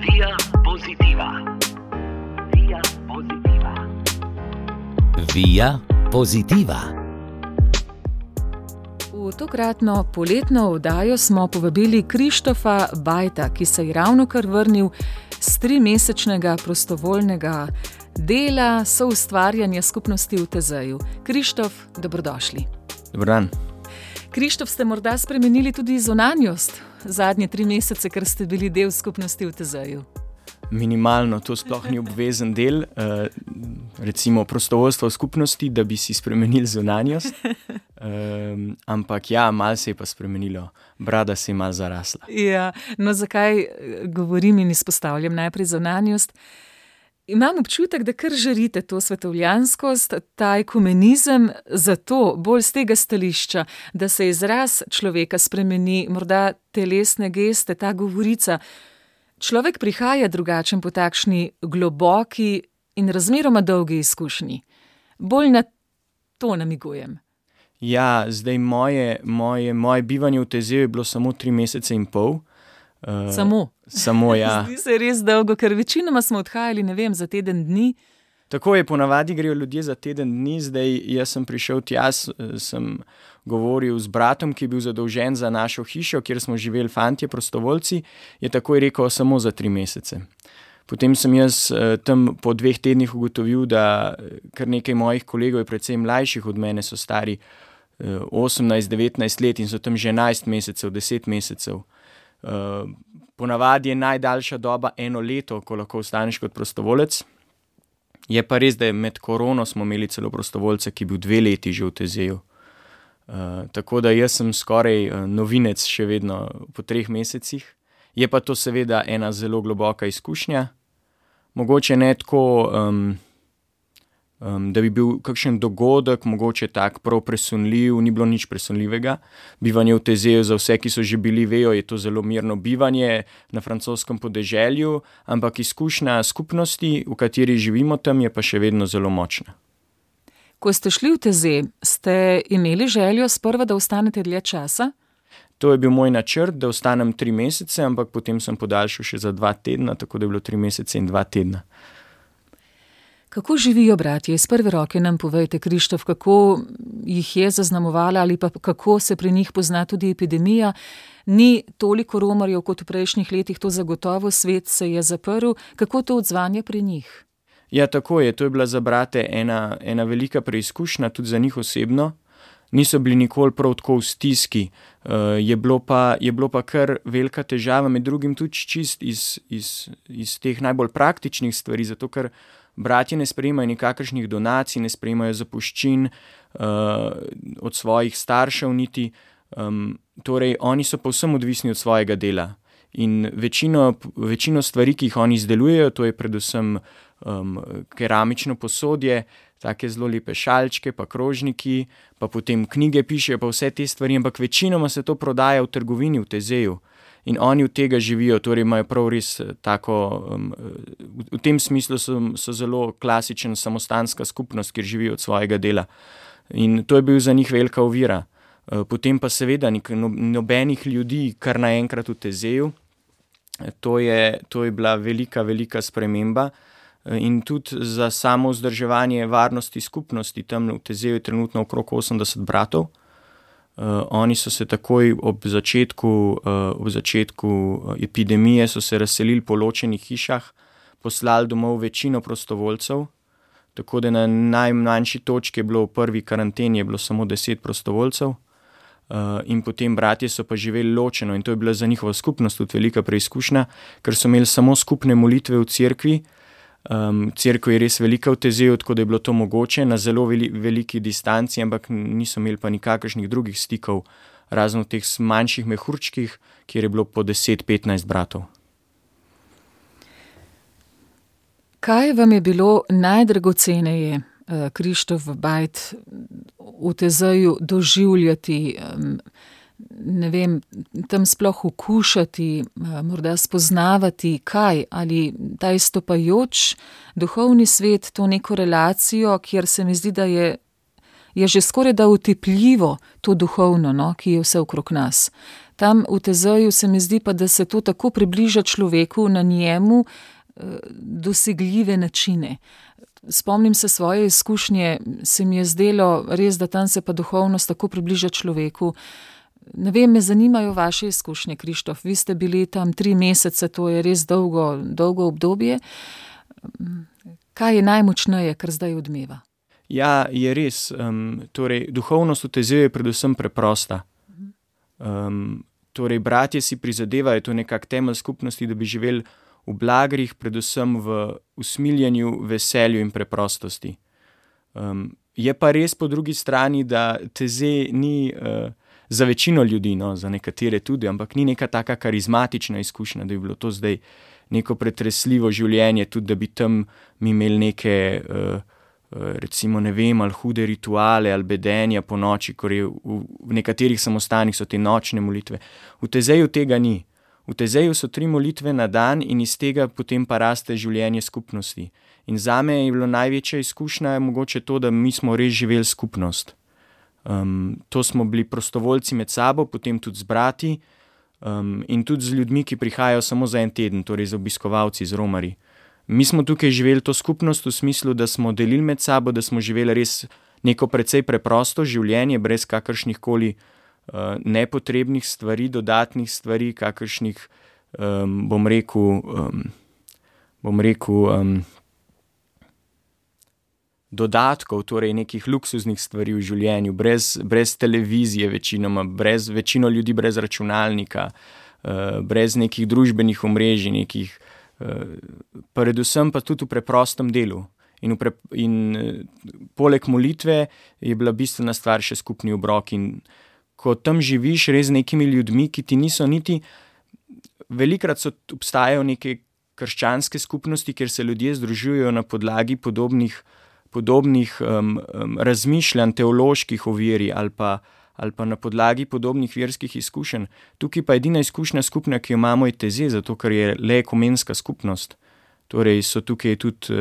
Via Positiva. Via Positiva. Via Positiva. V tokratno poletno oddajo smo povabili Krištofa Bajta, ki se je ravnokar vrnil s 3-mesečnega prostovoljnega dela soustvarjanja skupnosti v Tezeju. Krištof, dobrodošli. Dober dan. Krištof, ste morda spremenili tudi zunanjost zadnje 3 mesece, ker ste bili del skupnosti v Tezeju? Minimalno, to sploh ni obvezen del, recimo prostovoljstva v skupnosti, da bi si spremenili zunanjost, ampak ja, malo se je pa spremenilo, brada se je malo zarasla. Ja, no zakaj govorim in izpostavljam najprej zunanjost? Imam občutek, da kar žarite to svetovljanskost, ta ekumenizem, zato bolj z tega stališča, da se izraz človeka spremeni, morda telesne geste, ta govorica. Človek prihaja drugačen po takšni globoki in razmeroma dolgi izkušnji. Bolj na to namigujem. Ja, zdaj moje bivanje v Tezeju je bilo samo 3 mesece in pol. Samo, ja. Zdi se res dolgo, ker večinoma smo odhajali, ne vem, za teden dni. Tako je, ponavadi grejo ljudje za teden dni, zdaj jaz sem prišel tja, sem govoril z bratom, ki je bil zadolžen za našo hišo, kjer smo živeli fantje, prostovoljci, je takoj rekel samo za 3 mesece. Potem sem jaz tam po 2 tednih ugotovil, da kar nekaj mojih kolegov je precej mlajših od mene, so stari 18-19 let in so tam že 11 mesecev, 10 mesecev. Ponavadi je najdaljša doba 1 leto, ko lahko ostaneš kot prostovolec. Je pa res, da med korono smo imeli celo prostovoljce, ki je bil 2 leti že v Tezeju. Tako da jaz sem skoraj novinec še vedno po 3 mesecih. Je pa to seveda ena zelo globoka izkušnja. Mogoče ne tako, da bi bil kakšen dogodek, mogoče tak prav presunljiv, ni bilo nič presunljivega. Bivanje v Tezeju za vse, ki so že bili, vejo, je to zelo mirno bivanje na francoskem podeželju, ampak izkušnja skupnosti, v kateri živimo tam, je pa še vedno zelo močna. Ko ste šli v Tezej, ste imeli željo sprva, da ostanete dlje časa? To je bil moj načrt, da ostanem 3 mesece, ampak potem sem podaljšal še za 2 tedna, tako da je bilo 3 mesece in 2 tedna. Kako živijo bratje? Iz prve roke nam povejte, Krištof, kako jih je zaznamovala ali pa kako se pri njih pozna tudi epidemija. Ni toliko romarjev kot v prejšnjih letih, to zagotovo, svet se je zaprl. Kako to odzvanje pri njih? Ja, tako je. To je bila za brate ena velika preizkušnja, tudi za njih osebno. Niso bili nikoli prav tako v stiski. Je bilo pa kar velika težava, med drugim tudi čist iz teh najbolj praktičnih stvari, zato ker bratje ne sprejemajo nikakršnih donacij, ne sprejemajo zapuščin od svojih staršev niti. Torej, oni so povsem odvisni od svojega dela. In večino stvari, ki jih oni izdelujejo, to je predvsem keramično posodje, take zelo lepe šalčke, pa krožniki, pa potem knjige pišejo, pa vse te stvari, ampak večinoma se to prodaja v trgovini v Tezeju. In oni od tega živijo, torej imajo prav res tako, v tem smislu so zelo klasičen samostanska skupnost, kjer živijo od svojega dela. In to je bil za njih velika ovira. Potem pa seveda nobenih ljudi kar naenkrat v Tezeju. To je bila velika sprememba. In tudi za samo vzdrževanje varnosti skupnosti, tam v Tezeju je trenutno okrog 80 bratov. Oni so se takoj ob začetku epidemije so se razselili po ločenih hišah, poslali domov večino prostovoljcev, tako da na najmanjši točki je bilo v prvi karanteni je bilo samo 10 prostovoljcev. In potem bratje so pa živeli ločeno in to je bila za njihovo skupnost tudi velika preizkušnja, ker so imeli samo skupne molitve v cerkvi. Cerkev je res velika v Tezeju, tako da je bilo to mogoče na zelo veliki distanci, ampak niso imeli pa nikakršnih drugih stikov, razen v teh manjših mehurčkih, kjer je bilo po 10-15 bratov. Kaj vam je bilo najdragoceneje, Krištof Bajt, v Tezeju doživljati, ne vem, tam sploh okušati, morda spoznavati, kaj, ali ta izstopajoč duhovni svet, to neko relacijo, kjer se mi zdi, da je že skoraj da utepljivo to duhovno, no, ki je vse okrog nas. Tam v Tezeju se mi zdi pa, da se to tako približa človeku na njemu dosegljive načine. Spomnim se svoje izkušnje, se mi je zdelo res, da tam se pa duhovnost tako približa človeku. Ne vem, me zanimajo vaše izkušnje, Krištof. Vi ste bili tam 3 mesece, to je res dolgo obdobje. Kaj je najmočneje, kar zdaj odmeva? Ja, je res. Torej, duhovnost v Tezeju je predvsem preprosta. Torej, bratje si prizadevajo, to je nekak temelj skupnosti, da bi živeli v blagrih, predvsem v usmiljenju, veselju in preprostosti. Je pa res po drugi strani, da Tezej ni za večino ljudi, no, za nekatere tudi, ampak ni neka taka karizmatična izkušnja, da bi bilo to zdaj neko pretresljivo življenje, tudi da bi tam mi imeli neke, recimo ne vem, ali hude rituale ali bedenja po noči, ker je v nekaterih samostanih so te nočne molitve. V Tezeju tega ni. V Tezeju so 3 molitve na dan in iz tega potem pa raste življenje skupnosti. In zame je bilo največja izkušnja mogoče to, da mi smo res živeli skupnost. To smo bili prostovoljci med sabo, potem tudi z brati in tudi z ljudmi, ki prihajajo samo za en teden, torej z obiskovalci, z romarji. Mi smo tukaj živeli to skupnost v smislu, da smo delili med sabo, da smo živeli res neko precej preprosto življenje, brez kakršnih koli nepotrebnih stvari, dodatnih stvari, kakršnih, bom rekel, dodatkov, torej nekih luksuznih stvari v življenju, brez televizije večinoma, večino ljudi brez računalnika, brez nekih družbenih omrežij, nekih, predvsem pa tudi v preprostem delu. In poleg molitve je bila bistvena stvar še skupni obrok. In ko tam živiš res z nekimi ljudmi, ki ti niso niti, velikrat obstajajo neke krščanske skupnosti, kjer se ljudje združujejo na podlagi podobnih razmišljanj teoloških o veri ali pa na podlagi podobnih verskih izkušenj. Tukaj pa edina izkušnja skupna, ki jo imamo, je Tezej, zato ker je le ekumenska skupnost. Torej so tukaj tudi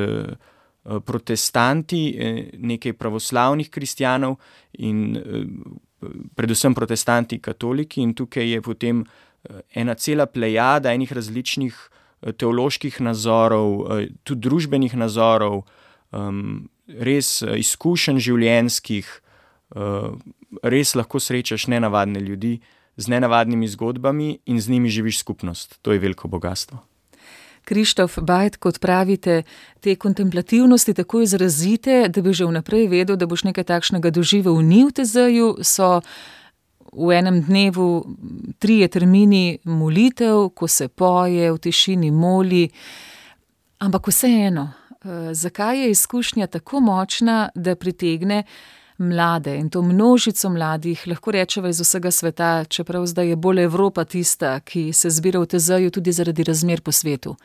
protestanti, nekaj pravoslavnih kristjanov in predvsem protestanti katoliki, in tukaj je potem ena cela plejada enih različnih teoloških nazorov, tudi družbenih nazorov, res izkušenj življenjskih, res lahko srečaš nenavadne ljudi z nenavadnimi zgodbami in z njimi živiš skupnost. To je veliko bogastvo. Krištof Bajd, kot pravite, te kontemplativnosti tako izrazite, da bi že vnaprej vedel, da boš nekaj takšnega doživel ni v Tezeju, so v enem dnevu 3 termini molitev, ko se poje, v tišini moli, ampak vseeno, zakaj je izkušnja tako močna, da pritegne mlade in to množico mladih, lahko rečeva iz vsega sveta, čeprav zdaj je bolj Evropa tista, ki se zbira v Tezeju tudi zaradi razmer po svetu.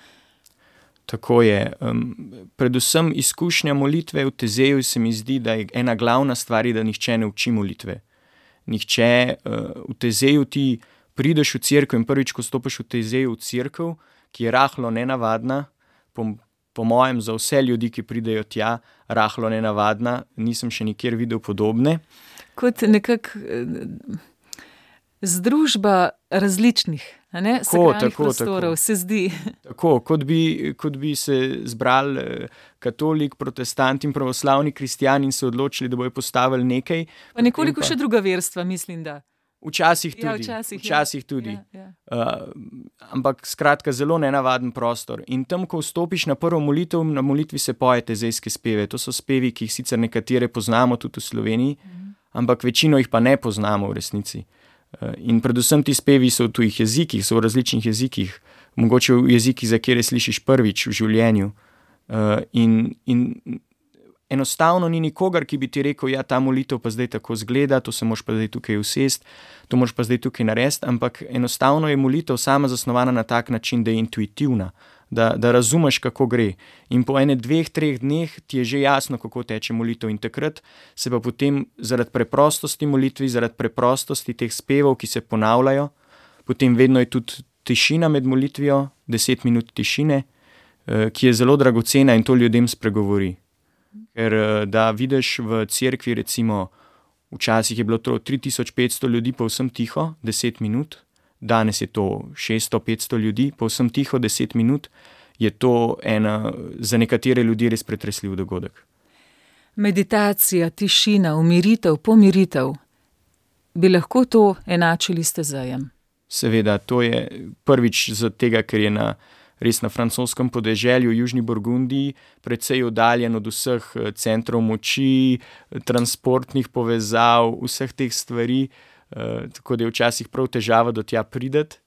Tako je. Predvsem izkušnja molitve v Tezeju se mi zdi, da je ena glavna stvar, da nihče ne uči molitve. Nihče v Tezeju ti prideš v cerkev in prvič, ko stopiš v Tezeju v cerkev, ki je rahlo nenavadna, po mojem za vse ljudi, ki pridejo tja, rahlo nenavadna, nisem še nikjer videl podobne. Kot nekak združba različnih, sakralnih prostorov, se zdi. Tako, kot bi se zbrali katolik, protestant in pravoslavni kristjan in se odločili, da bojo postavili nekaj. Pa nekoliko še druga verstva, mislim, da. Včasih tudi. Ja. Ampak skratka zelo nenavaden prostor. In tam, ko vstopiš na prvo molitev, na molitvi se poje tezejske speve. To so spevi, ki jih sicer nekatere poznamo tudi v Sloveniji, ampak večino jih pa ne poznamo v resnici. In predvsem ti spevi so v tujih jezikih, so v različnih jezikih, mogoče v jezikih, za kjer slišiš prvič v življenju. In enostavno ni nikogar, ki bi ti rekel, ja, ta molitev pa zdaj tako zgleda, to se moraš pa zdaj tukaj usesti, to moraš pa zdaj tukaj narediti, ampak enostavno je molitev sama zasnovana na tak način, da je intuitivna, da razumeš, kako gre. In po 1-2-3 dneh ti je že jasno, kako teče molitev, in takrat se pa potem zaradi preprostosti molitvi, zaradi preprostosti teh spevov, ki se ponavljajo, potem vedno je tudi tišina med molitvijo, 10 minut tišine, ki je zelo dragocena in to ljudem spregovori. Ker da vidiš v cerkvi, recimo, včasih je bilo 3500 ljudi povsem tiho, 10 minut, danes je to 600-500 ljudi, povsem tiho 10 minut, je to za nekatere ljudi res pretresljiv dogodek. Meditacija, tišina, umiritev, pomiritev. Bi lahko to enačili s Tezejem? Seveda, to je prvič zaradi tega, ker je res na francoskem podeželju, v Južni Burgundiji, precej oddaljen od vseh centrov moči, transportnih povezav, vseh teh stvari, tako da je včasih prav težava do tja prideti.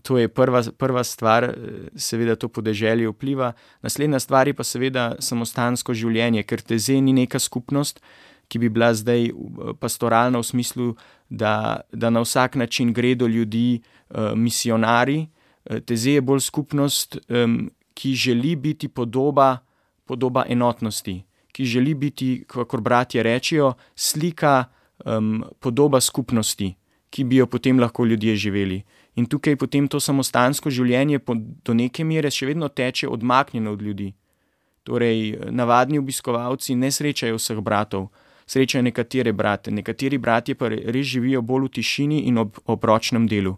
To je prva stvar, seveda to podeželje vpliva. Naslednja stvar je pa seveda samostansko življenje, ker Tezej ni neka skupnost, ki bi bila zdaj pastoralna v smislu, da na vsak način gre do ljudi misionarji. Tezej je bolj skupnost, ki želi biti podoba enotnosti, ki želi biti, kakor bratje rečejo, slika, podoba skupnosti, ki bi jo potem lahko ljudje živeli. In tukaj potem to samostansko življenje do neke mere še vedno teče odmaknjeno od ljudi. Torej, navadni obiskovalci ne srečajo vseh bratov, srečajo nekatere brate. Nekateri bratje pa res živijo bolj v tišini in ob ročnem delu.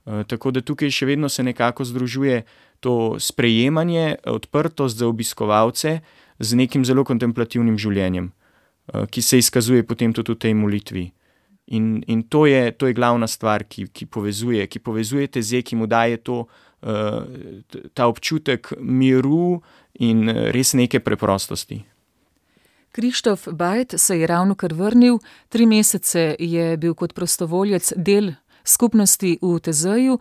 Tako da tukaj še vedno se nekako združuje to sprejemanje, odprtost za obiskovalce z nekim zelo kontemplativnim življenjem, ki se izkazuje potem tudi v tej molitvi. In to je glavna stvar, ki povezuje Tezej, ki mu daje ta občutek miru in res neke preprostosti. Krištof Bajt se je ravnokar vrnil, 3 mesece je bil kot prostovoljec del skupnosti v Tezeju.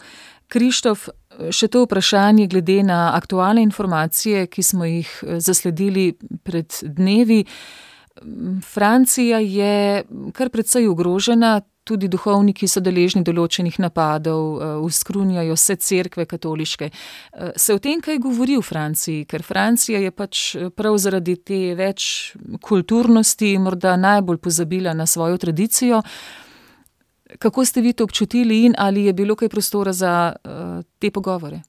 Krištof, še to vprašanje glede na aktualne informacije, ki smo jih zasledili pred dnevi. Francija je kar precej ogrožena, tudi duhovniki so deležni določenih napadov, uskrunjajo se cerkve katoliške. Se o tem kaj govori v Franciji? Ker Francija je pač prav zaradi te več kulturnosti morda najbolj pozabila na svojo tradicijo. Kako ste vi to občutili in ali je bilo kaj prostora za te pogovore?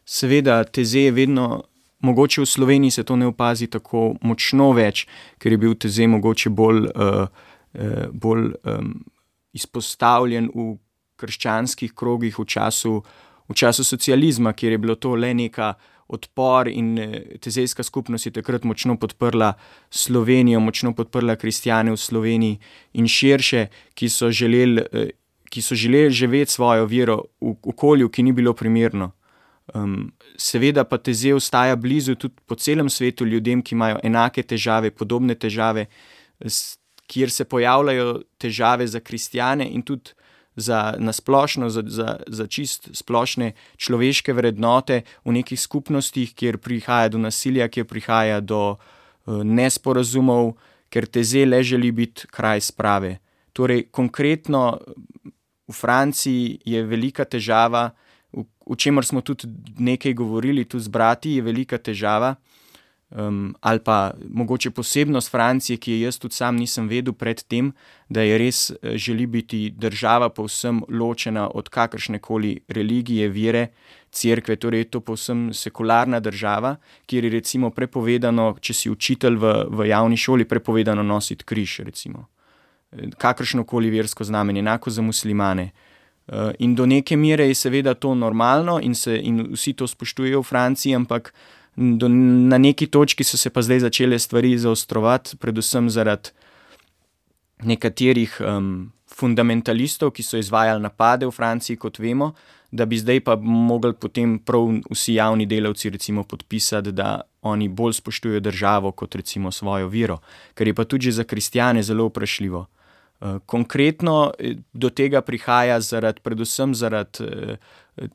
Seveda, Tezej je vedno, mogoče v Sloveniji se to ne opazi tako močno več, ker je bil Tezej mogoče bolj izpostavljen v krščanskih krogih v času socializma, kjer je bilo to le neka odpor in tezejska skupnost je takrat močno podprla Slovenijo, močno podprla kristjane v Sloveniji in širše, ki so želeli živeti svojo vero v okolju, ki ni bilo primerno. Seveda pa Tezej ostaja blizu tudi po celem svetu ljudem, ki imajo enake težave, podobne težave, kjer se pojavljajo težave za kristjane in tudi na splošno, za čist splošne človeške vrednote v nekih skupnostih, kjer prihaja do nasilja, kjer prihaja do nesporazumov, ker Tezej le želi biti kraj sprave. Torej, konkretno v Franciji je velika težava, o čemer smo tudi nekaj govorili, tudi z brati je velika težava, ali pa mogoče posebnost Francije, ki je jaz tudi sam nisem vedel pred tem, da je res želi biti država povsem ločena od kakršnekoli religije, vere, cerkve, torej je to povsem sekularna država, kjer je recimo prepovedano, če si učitelj v javni šoli, prepovedano nositi križ, recimo. Kakršnokoli versko znamenje, enako za muslimane. In do neke mere je seveda to normalno in vsi to spoštujejo v Franciji, ampak na neki točki so se pa zdaj začele stvari zaostrovati, predvsem zaradi nekaterih fundamentalistov, ki so izvajali napade v Franciji, kot vemo, da bi zdaj pa mogli potem prav vsi javni delavci recimo podpisati, da oni bolj spoštujejo državo kot recimo svojo vero, kar je pa tudi za kristjane zelo vprašljivo. Konkretno do tega prihaja predvsem zaradi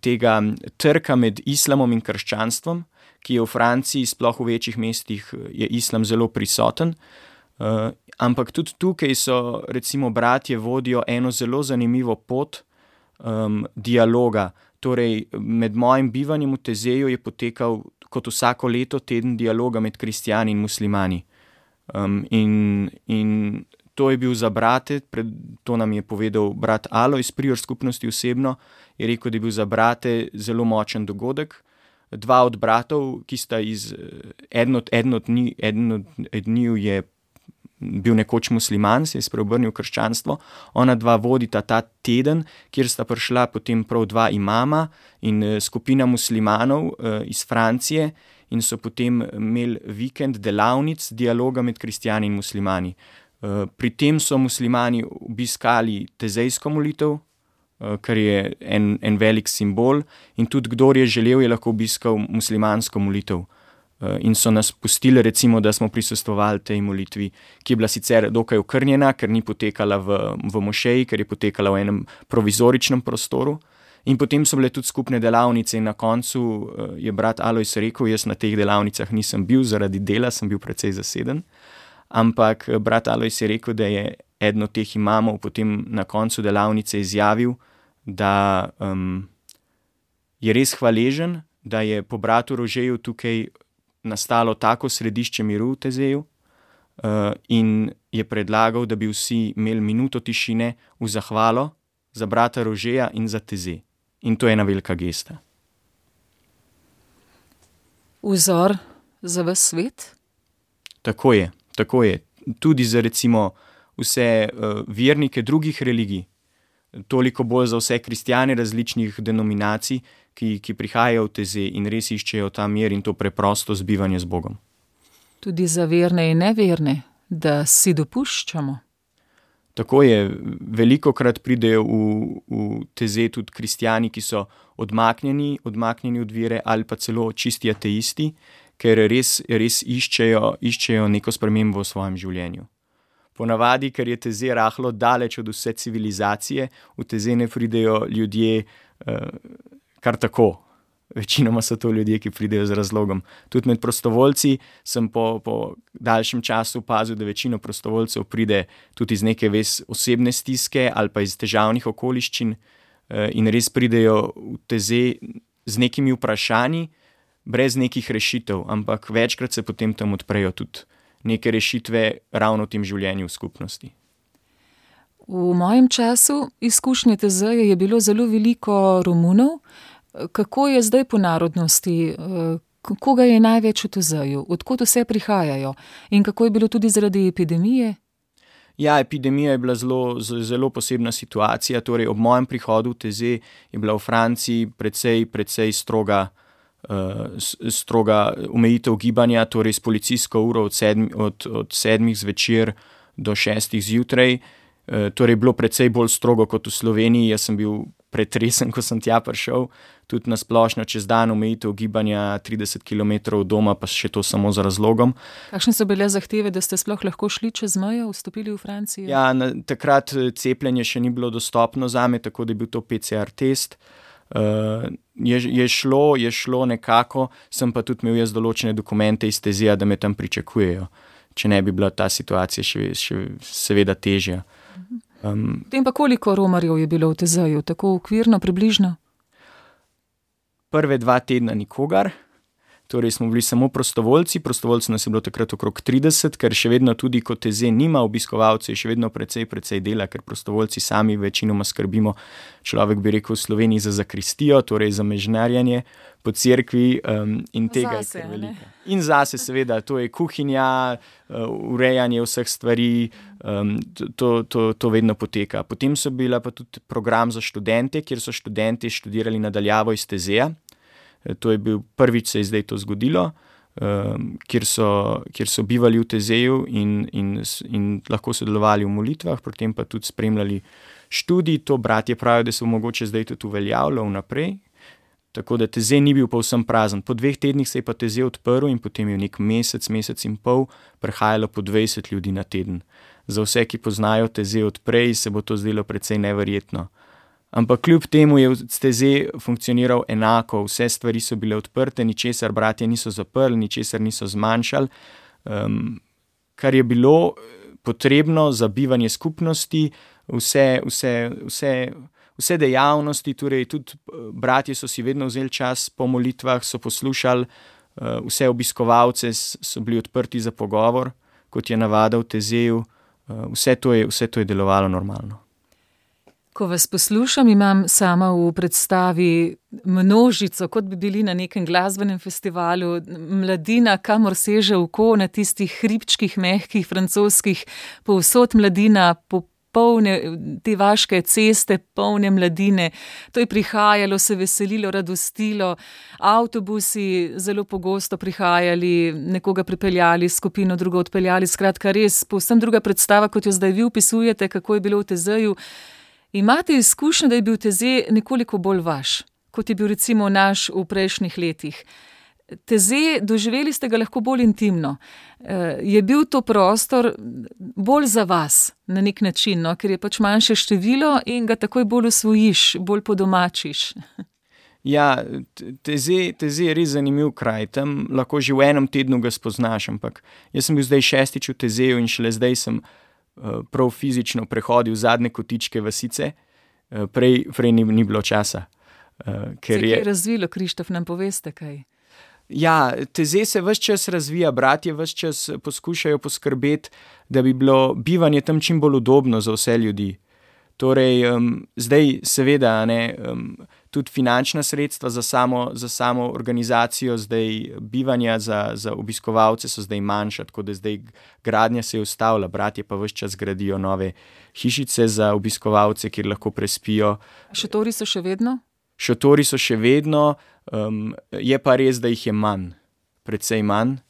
tega trka med islamom in krščanstvom, ki je v Franciji, sploh v večjih mestih, je islam zelo prisoten. Ampak tudi tukaj so recimo bratje vodijo eno zelo zanimivo pot dialoga. Torej, med mojim bivanjem v Tezeju je potekal kot vsako leto teden dialoga med kristjani in muslimani. In to je bil za brate, to nam je povedal brat Alo iz Prior skupnosti osebno, je rekel, da je bil za brate zelo močen dogodek. 2 od bratov, ki sta eden od njiju je bil nekoč musliman, se je spreobrnil v krščanstvo. Ona dva vodita ta teden, kjer sta prišla potem prav dva imama in skupina muslimanov iz Francije in so potem imeli vikend delavnic dialoga med kristjani in muslimani. Pri tem so muslimani obiskali tezejsko molitev, kar je en velik simbol, in tudi kdor je želel, je lahko obiskal muslimansko molitev. In so nas pustili, recimo, da smo prisostvovali tej molitvi, ki je bila sicer dokaj okrnjena, ker ni potekala v mošeji, ker je potekala v enem provizoričnem prostoru. In potem so bile tudi skupne delavnice in na koncu je brat Alojz rekel, jaz na teh delavnicah nisem bil zaradi dela, sem bil precej zaseden, ampak brat Alojz je rekel, da je eden od teh imamov potem na koncu delavnice izjavil, da je res hvaležen, da je po bratu Rožeju tukaj nastalo tako središče miru v Tezeju in je predlagal, da bi vsi imeli minuto tišine v zahvalo za brata Rožeja in za Tezej. In to je ena velika gesta. Vzor za ves svet? Tako je. Tudi za recimo vse vernike drugih religij, toliko bolj za vse kristjane različnih denominacij, ki prihajajo v Tezej in res iščejo ta mir in to preprosto zbivanje z Bogom. Tudi za verne in neverne, da si dopuščamo. Tako je, velikokrat pridejo v Tezej tudi kristjani, ki so odmaknjeni od vere ali pa celo čisti ateisti, ker res iščejo neko spremembo v svojem življenju. Ponavadi, ker je Tezej rahlo daleč od vse civilizacije, v Tezej ne pridejo ljudje kar tako. Večinoma so to ljudje, ki pridejo z razlogom. Tudi med prostovoljci sem po daljšem času opazil, da večino prostovoljcev pride tudi iz neke osebne stiske ali pa iz težavnih okoliščin in res pridejo v Tezej z nekimi vprašanji, brez nekih rešitev, ampak večkrat se potem tam odprejo tudi neke rešitve ravno v tem življenju v skupnosti. V mojem času izkušnje Tezeja je bilo zelo veliko Romunov. Kako je zdaj po narodnosti? Koga je največ v Tezeju? Odkot vse prihajajo? In kako je bilo tudi zaradi epidemije? Ja, epidemija je bila zelo posebna situacija. Torej, ob mojem prihodu v Tezej je bila v Franciji precej stroga omejitev gibanja, torej s policijsko uro od 7 zvečer do 6 zjutraj. Torej, bilo precej bolj strogo kot v Sloveniji. Jaz sem bil pretresen, ko sem tja prišel. Tudi na splošno čez dan omejitev gibanja 30 km od doma, pa še to samo z razlogom. Kakšne so bile zahteve, da ste sploh lahko šli čez mejo, vstopili v Francijo? Ja, takrat cepljenje še ni bilo dostopno zame, tako da je bil to PCR test. Je šlo nekako, sem pa tudi imel jaz določene dokumente iz Tezeja, da me tam pričakujejo. Če ne bi bila ta situacija še seveda težja. Potem pa koliko romarjev je bilo v Tezeju, tako okvirno, približno? Prve 2 tedna nikogar, torej smo bili samo prostovoljci nas je bilo takrat okrog 30, ker še vedno tudi, ko Tezej nima obiskovalcev, je še vedno precej dela, ker prostovoljci sami večinoma skrbimo, človek bi rekel v Sloveniji, za zakristijo, torej za mežnarjanje po cerkvi in tega je kar veliko. In zase seveda, to je kuhinja, urejanje vseh stvari, to vedno poteka. Potem so bila pa tudi program za študente, kjer so študenti študirali nadaljavo iz Tezeja. To je bil prvič, se je zdaj to zgodilo, kjer so bivali v Tezeju in lahko sodelovali v molitvah, potem pa tudi spremljali študij. To bratje pravijo, da se bo mogoče zdaj tudi uveljavljalo vnaprej. Tako da Tezej ni bil povsem prazen. Po 2 tednih se je pa Tezej odprl in potem je nek mesec in pol prihajalo po 20 ljudi na teden. Za vse, ki poznajo Tezej od prej, se bo to zdelo precej neverjetno. Ampak kljub temu je Tezej funkcioniral enako, vse stvari so bile odprte, ničesar bratje niso zaprli, ničesar niso zmanjšali, kar je bilo potrebno za bivanje skupnosti, vse dejavnosti, torej tudi bratje so si vedno vzeli čas po molitvah, so poslušali, vse obiskovalce so bili odprti za pogovor, kot je navada v Tezeju, vse to je delovalo normalno. Ko vas poslušam, imam sama v predstavi množico, kot bi bili na nekem glasbenem festivalu, mladina, kamor seže oko, na tistih hribčkih, mehkih, francoskih, povsod mladina, polne te vaške ceste, polne mladine. To je prihajalo, se veselilo, radostilo, avtobusi zelo pogosto prihajali, nekoga pripeljali, skupino drugo odpeljali, skratka res povsem druga predstava, kot jo zdaj vi opisujete, kako je bilo v Tezeju. Imate izkušnjo, da je bil Teze nekoliko bolj vaš, kot je bil recimo naš v prejšnjih letih. Teze, doživeli ste ga lahko bolj intimno. Je bil to prostor bolj za vas na nek način, no? Ker je pač manjše število in ga takoj bolj osvojiš, bolj podomačiš. Ja, Teze je res zanimiv kraj, tam lahko že v enem tednu ga spoznaš, ampak jaz sem bil zdaj 6. v Tezeju in šele zdaj sem prav fizično prehodil zadnje kotičke vasice, prej ni bilo časa. Se je razvilo, Krištof, nam poveste kaj? Ja, Teze se ves čas razvija, bratje ves čas poskušajo poskrbeti, da bi bilo bivanje tam čim bolj udobno za vse ljudi. Torej, zdaj seveda, tudi finančna sredstva za samo organizacijo zdaj bivanja za obiskovalce so zdaj manjša, tako da zdaj gradnja se je ustavila, bratje pa ves čas gradijo nove hišice za obiskovalce, kjer lahko prespijo. Šotori so še vedno? Šotori so še vedno, je pa res, da jih je manj, precej manj.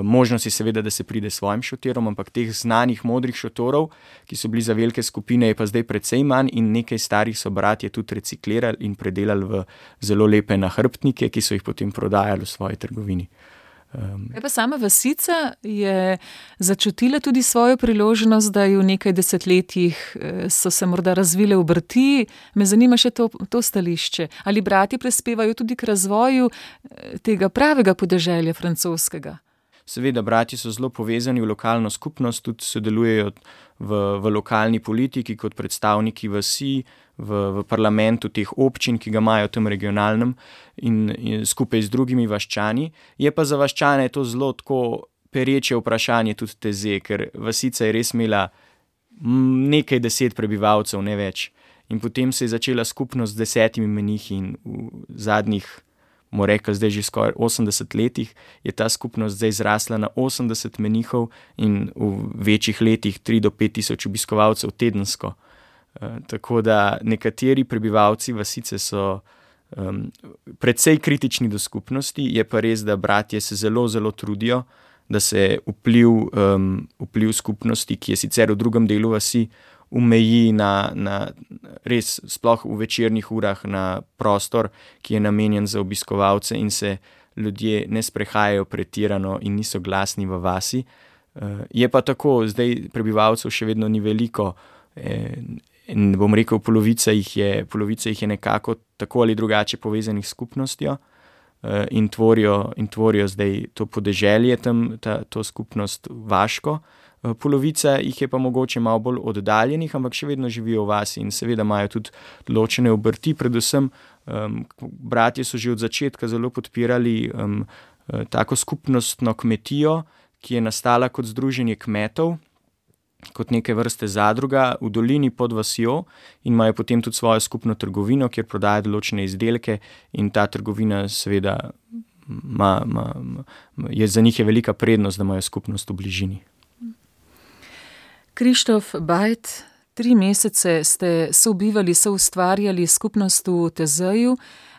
Možnost je seveda, da se pride s svojim šotirom, ampak teh znanih modrih šotorov, ki so bili za velike skupine, je pa zdaj precej manj in nekaj starih so bratje tudi reciklirali in predelali v zelo lepe nahrbtnike, ki so jih potem prodajali v svoji trgovini. Pa sama vasica je začutila tudi svojo priložnost, da je v nekaj desetletjih so se morda razvile obrti. Me zanima še to stališče. Ali bratje prispevajo tudi k razvoju tega pravega podeželja francoskega? Seveda, bratje so zelo povezani v lokalno skupnost, tudi sodelujejo v lokalni politiki kot predstavniki vasi, v parlamentu teh občin, ki ga imajo v tem regionalnem in skupaj z drugimi vaščani. Je pa za vaščane to zelo tako pereče vprašanje tudi Teze, ker vasica je res imela nekaj 10 prebivalcev, ne več. In potem se je začela skupnost z 10 menihi in v zadnjih, bomo rekli, zdaj že skoraj 80 letih, je ta skupnost zdaj zrasla na 80 menihov in v večjih letih 3 do 5 tisoč obiskovalcev tedensko. Tako da nekateri prebivalci vasice so precej kritični do skupnosti, je pa res, da bratje se zelo, zelo trudijo, da se vpliv skupnosti, ki je sicer v drugem delu vasi, umeji na res sploh v večernih urah na prostor, ki je namenjen za obiskovalce in se ljudje ne sprehajajo pretirano in niso glasni v vasi. Je pa tako, zdaj prebivalcev še vedno ni veliko, in bom rekel, polovica jih je nekako tako ali drugače povezanih s skupnostjo in tvorijo zdaj to podeželje tam, to skupnost vaško. Polovica jih je pa mogoče malo bolj oddaljenih, ampak še vedno živijo v vasi in seveda imajo tudi ločene obrti. Predvsem bratje so že od začetka zelo podpirali tako skupnostno kmetijo, ki je nastala kot združenje kmetov, kot neke vrste zadruga v dolini pod vasjo in imajo potem tudi svojo skupno trgovino, kjer prodajajo določene izdelke in ta trgovina seveda je za njih je velika prednost, da imajo skupnost v bližini. Krištof Bajt, 3 mesece ste sobivali, soustvarjali skupnost v Tezeju.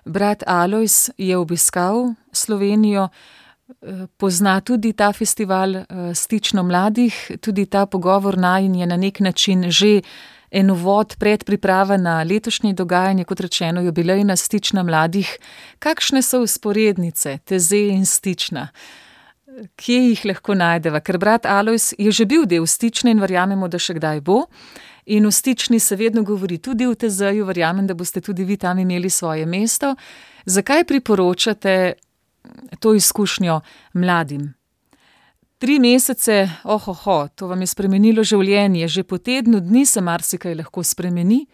Brat Alojz je obiskal Slovenijo, pozna tudi ta festival Stično mladih, tudi ta pogovor najin je na nek način že en uvod, predpriprava na letošnje dogajanje, kot rečeno, jubilejna Stična mladih. Kakšne so vzporednice Teze in Stična? Kje jih lahko najdeva? Ker brat Alojz je že bil del Stične in verjamemo, da še kdaj bo. In v Stični se vedno govori tudi v Tezeju, verjamem, da boste tudi vi tam imeli svoje mesto. Zakaj priporočate to izkušnjo mladim? 3 mesece, to vam je spremenilo življenje, že po tednu dni se marsikaj lahko spremeni,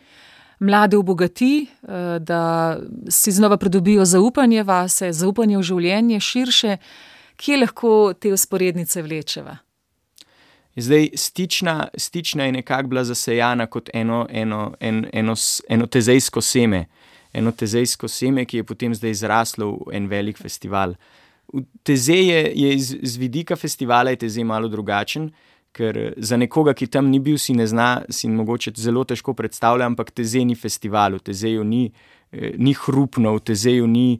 mlade obogati, da si znova pridobijo zaupanje vase, zaupanje v življenje širše. Kje lahko te vzporednice vlečeva? Zdaj, Stična je nekako bila zasejana kot eno tezejsko seme. Eno tezejsko seme, ki je potem zdaj zraslo v en velik festival. Tezej je z vidika festivala je Tezej malo drugačen, ker za nekoga, ki tam ni bil, si ne zna, si mogoče zelo težko predstavlja, ampak Tezej ni festival, v Tezeju ni hrupno, v Tezeju ni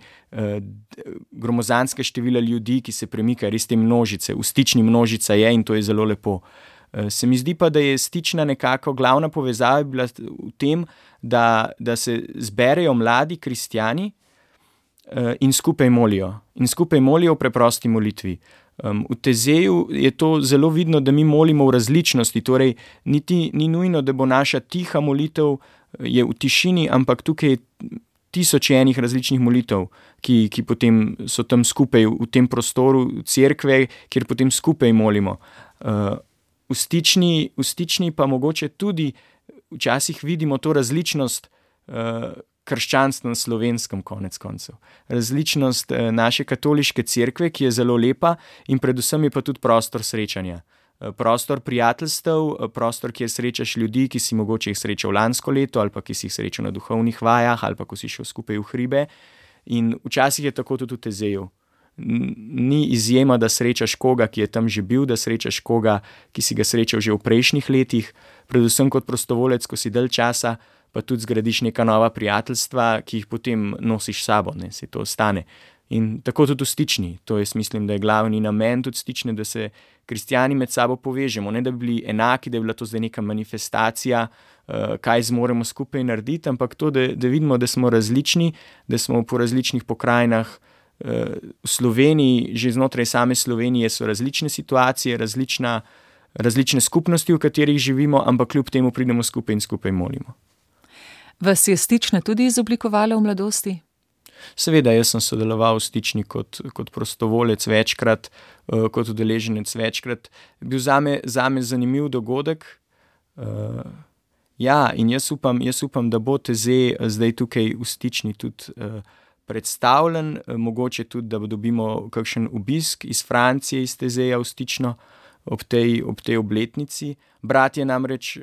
gromozanske števila ljudi, ki se premikajo, res te množice. V Stični množica je in to je zelo lepo. Se mi zdi pa, da je Stična nekako glavna povezava bila v tem, da se zberejo mladi kristjani in skupaj molijo. In skupaj molijo v preprosti molitvi. V Tezeju je to zelo vidno, da mi molimo v različnosti, torej ni nujno, da bo naša tiha molitev je v tišini, ampak tukaj je tisoč enih različnih molitev, ki potem so tam skupaj v tem prostoru cerkve, kjer potem skupaj molimo. V Stični pa mogoče tudi včasih vidimo to različnost krščanstva na Slovenskem konec koncev. Različnost naše katoliške cerkve, ki je zelo lepa in predvsem je pa tudi prostor srečanja. Prostor prijateljstev, prostor, kjer srečaš ljudi, ki si mogoče jih srečal lansko leto ali pa ki si jih srečal na duhovnih vajah ali pa ko si šel skupaj v hribe. In včasih je tako tudi v Tezeju. Ni izjema, da srečaš koga, ki je tam že bil, da srečaš koga, ki si ga srečal že v prejšnjih letih, predvsem kot prostovolec, ko si dalj časa, pa tudi zgradiš neka nova prijateljstva, ki jih potem nosiš sabo, ne, se to ostane. In tako tudi v Stični. To jaz mislim, da je glavni namen tudi Stične, da se kristjani med sabo povežemo, ne da bi bili enaki, da je bila to zdaj neka manifestacija, kaj zmoremo skupaj narediti, ampak to, da vidimo, da smo različni, da smo po različnih pokrajinah. V Sloveniji, že znotraj same Slovenije so različne situacije, različne skupnosti, v katerih živimo, ampak kljub temu pridemo skupaj in skupaj molimo. Vas je Stična tudi izoblikovala v mladosti? Seveda, jaz sem sodeloval v Stični kot prostovolec večkrat, kot udeleženec večkrat. Bil zame zanimiv dogodek. In jaz upam, da bo Tezej zdaj tukaj v Stični tudi predstavljen, mogoče tudi, da dobimo kakšen obisk iz Francije, iz Tezeja v Stično ob tej obletnici. Bratje namreč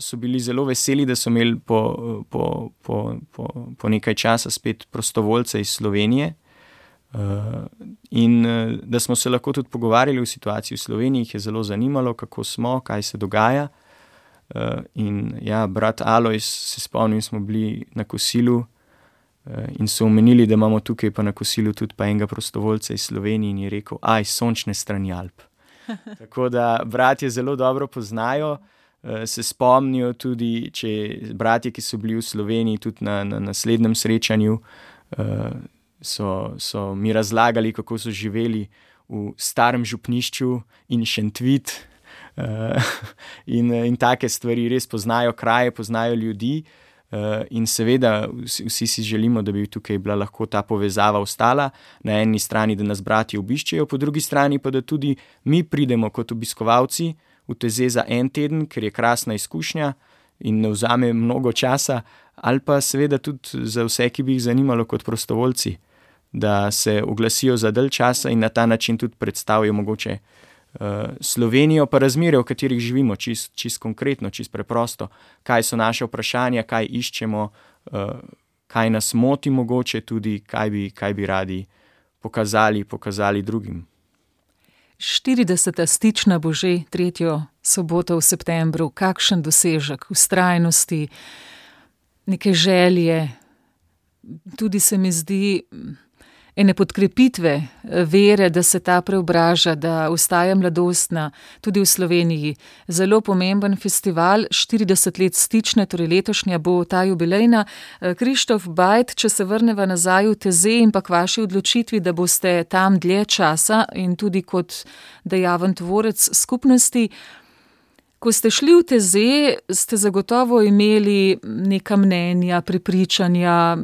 so bili zelo veseli, da so imeli po nekaj časa spet prostovoljce iz Slovenije in da smo se lahko tudi pogovarjali o situaciji v Sloveniji, jih je zelo zanimalo, kako smo, kaj se dogaja. Brat Alojz, se spomnim, smo bili na kosilu in so omenili, da imamo tukaj pa na kosilu tudi pa enega prostovoljca iz Slovenije in je rekel, sončne strani Alp. Tako da bratje zelo dobro poznajo, se spomnijo tudi, če bratje, ki so bili v Sloveniji tudi na naslednjem srečanju, so mi razlagali, kako so živeli v Starem Župnišču in Šentvid in take stvari, res poznajo kraje, poznajo ljudi. In seveda vsi si želimo, da bi tukaj bila lahko ta povezava ostala, na eni strani, da nas bratje obiščejo, po drugi strani pa, da tudi mi pridemo kot obiskovalci v Tezej za en teden, ker je krasna izkušnja in ne vzame mnogo časa, ali pa seveda tudi za vse, ki bi jih zanimalo kot prostovoljci, da se oglasijo za dalj časa in na ta način tudi predstavijo mogoče Slovenijo, pa razmere, v katerih živimo, čist konkretno, čist preprosto, kaj so naše vprašanja, kaj iščemo, kaj nas moti mogoče tudi, kaj bi radi pokazali drugim. 40. Stična bo že 3. soboto v septembru. Kakšen dosežek vztrajnosti, neke želje, tudi se mi zdi ene podkrepitve vere, da se ta preobraža, da ostaja mladostna, tudi v Sloveniji. Zelo pomemben festival, 40 let Stične, torej letošnja bo ta jubilejna. Krištof Bajt, če se vrneva nazaj v Tezej in pa k vaši odločitvi, da boste tam dlje časa in tudi kot dejaven tvorec skupnosti. Ko ste šli v Tezej, ste zagotovo imeli neka mnenja, prepričanja,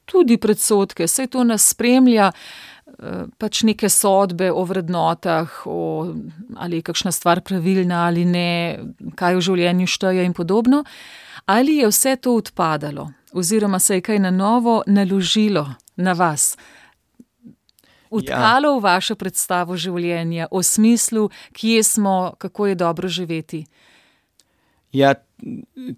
tudi predsodke, saj to nas spremlja, pač neke sodbe o vrednotah, ali je kakšna stvar pravilna ali ne, kaj v življenju šteje in podobno. Ali je vse to odpadalo, oziroma se je kaj na novo naložilo na vas? vtkalo v vašo predstavo življenja, o smislu, kje smo, kako je dobro živeti? Ja,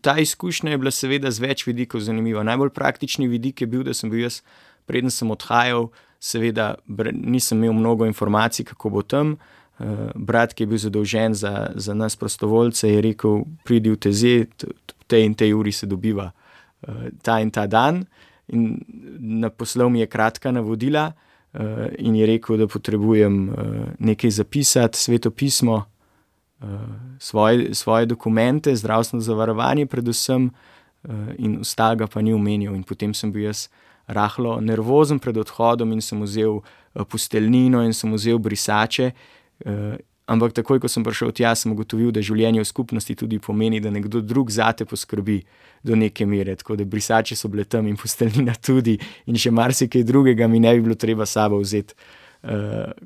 ta izkušnja je bila seveda z več vidikov zanimiva. Najbolj praktični vidik je bil, da sem bil jaz, preden sem odhajal, seveda nisem imel mnogo informacij, kako bo tam. Brat, ki je bil zadolžen za nas prostovoljce, je rekel, pridi v TZ, v tej in tej uri se dobiva ta in ta dan. In poslal mi je kratka navodila in je rekel, da potrebujem nekaj zapisati, Sveto pismo, svoje dokumente, zdravstveno zavarovanje predvsem in ostalega pa ni omenil. In potem sem bil jaz rahlo nervozen pred odhodom in sem vzel posteljnino in sem vzel brisače, ampak takoj, ko sem prišel tja, sem ugotovil, da življenje v skupnosti tudi pomeni, da nekdo drug zate poskrbi do neke mere, tako da brisače so bile tam in posteljnina tudi in še marsikaj drugega mi ne bi bilo treba sabo vzeti.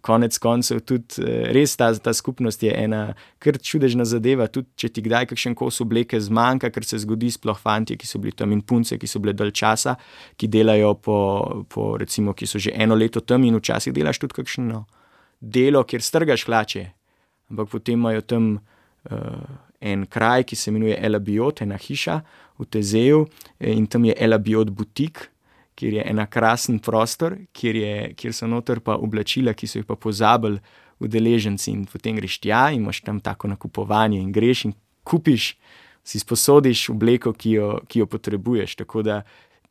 Konec koncev tudi res ta skupnost je ena kar čudežna zadeva, tudi če ti kdaj kakšen kos obleke zmanjka, ker se zgodi, sploh fantje, ki so bili tam in punce, ki so bile dalj časa, ki delajo po recimo, ki so že 1 leto tam in včasih delaš tudi kakšno delo, kjer strgaš hlače, ampak potem imajo tam en kraj, ki se imenuje Elabiot, ena hiša v Tezeju in tam je Elabiot butik, kjer je ena krasen prostor, kjer so noter pa oblačila, ki so jih pa pozabili udeleženci in potem greš tja in imaš tam tako nakupovanje in greš in kupiš, si sposodiš obleko, ki jo potrebuješ, tako da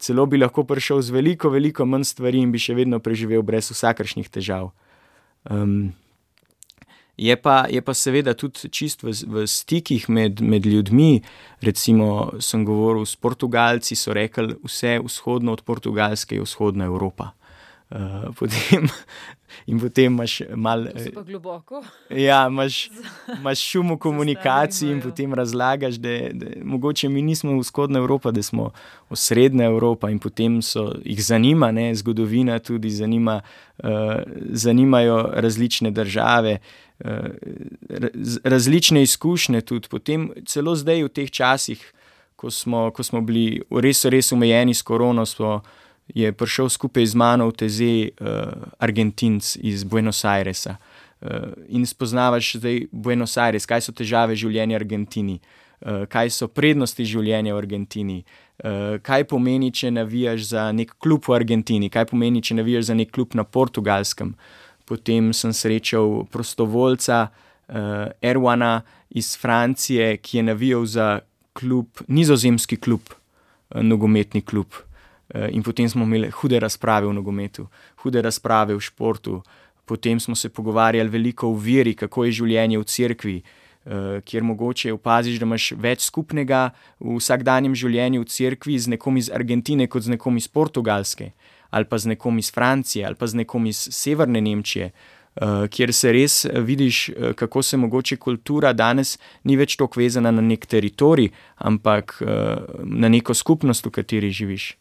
celo bi lahko prišel z veliko manj stvari in bi še vedno preživel brez vsakršnih težav. Je pa seveda tudi čist v stikih med ljudmi, recimo sem govoril s Portugalci, so rekli, vse vzhodno od Portugalske je vzhodna Evropa. Potem imaš malo... To se pa globoko. Ja, imaš šum v komunikaciji in potem razlagaš, da mogoče mi nismo vzhodna Evropa, da smo osrednja Evropa in potem jih zanima, ne, zgodovina tudi zanimajo različne države, različne izkušnje tudi. Potem celo zdaj v teh časih, ko smo bili res omejeni s korono, je prišel skupaj z mano v TZ Argentinc iz Buenos Airesa in spoznavaš zdaj Buenos Aires, kaj so težave življenja v Argentini, kaj so prednosti življenja v Argentini, kaj pomeni, če navijaš za nek klub v Argentini, kaj pomeni, če navijaš za nek klub na Portugalskem. Potem sem srečal prostovoljca Erwana iz Francije, ki je navijal za nizozemski klub, nogometni klub. In potem smo imeli hude razprave v nogometu, hude razprave v športu, potem smo se pogovarjali veliko o veri, kako je življenje v cerkvi, kjer mogoče opaziš, da imaš več skupnega v vsakdanjem življenju v cerkvi z nekom iz Argentine kot z nekom iz Portugalske, ali pa z nekom iz Francije, ali pa z nekom iz severne Nemčije, kjer se res vidiš, kako se mogoče kultura danes ni več toliko vezana na nek teritorij, ampak na neko skupnost, v kateri živiš.